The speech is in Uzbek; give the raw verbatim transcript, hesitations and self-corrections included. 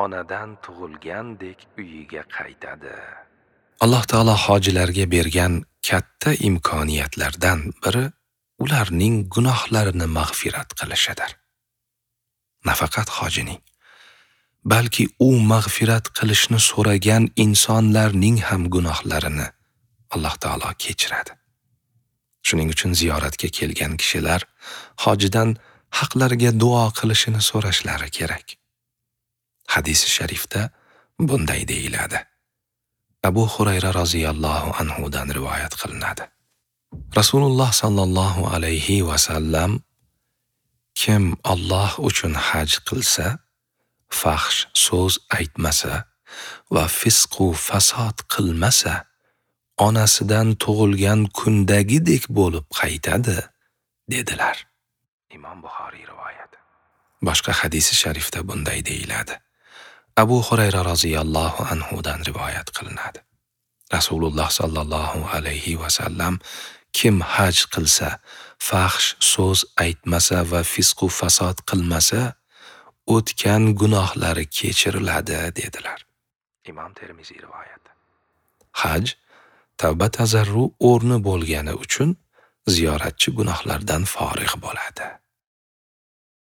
onadan tug'ilgandek uyiga qaytadi. Alloh taolo hojilarga bergan katta imkoniyatlardan biri ularning gunohlarini mag'firat qilishidir. Nafaqat hojining, balki u mag'firat qilishni so'ragan insonlarning ham gunohlarini Alloh taolo kechiradi. Shuning uchun ziyoratga kelgan kishilar hojidan haqlariga duo qilishini so'rashlari kerak. Hadisi sharifda bunday deyiladi. Abu Hurayra roziyallohu anhu dan rivoyat qilinadi. Rasululloh sallallohu alayhi va sallam kim Alloh uchun haj qilsa, fahsh so'z aytmasa va fisq u fasod qilmasa, onasidan tug'ilgan kundagidek bo'lib qaytadi, dedilar. Imom Buxoriy rivoyati. Boshqa hadisi sharifda bunday deyiladi. Abu Hurayra roziyallohu anhu dan rivoyat qilinadi. Rasululloh sallallohu alayhi va sallam kim haj qilsa, fahsh so'z aytmasa va fisq u fasod qilmasa, o'tgan gunohlari kechiriladi, dedilar. Imom Termiziy rivoyati. Haj tavba tazarru o'rni bo'lgani uchun ziyoratchi gunohlardan forig' bo'ladi.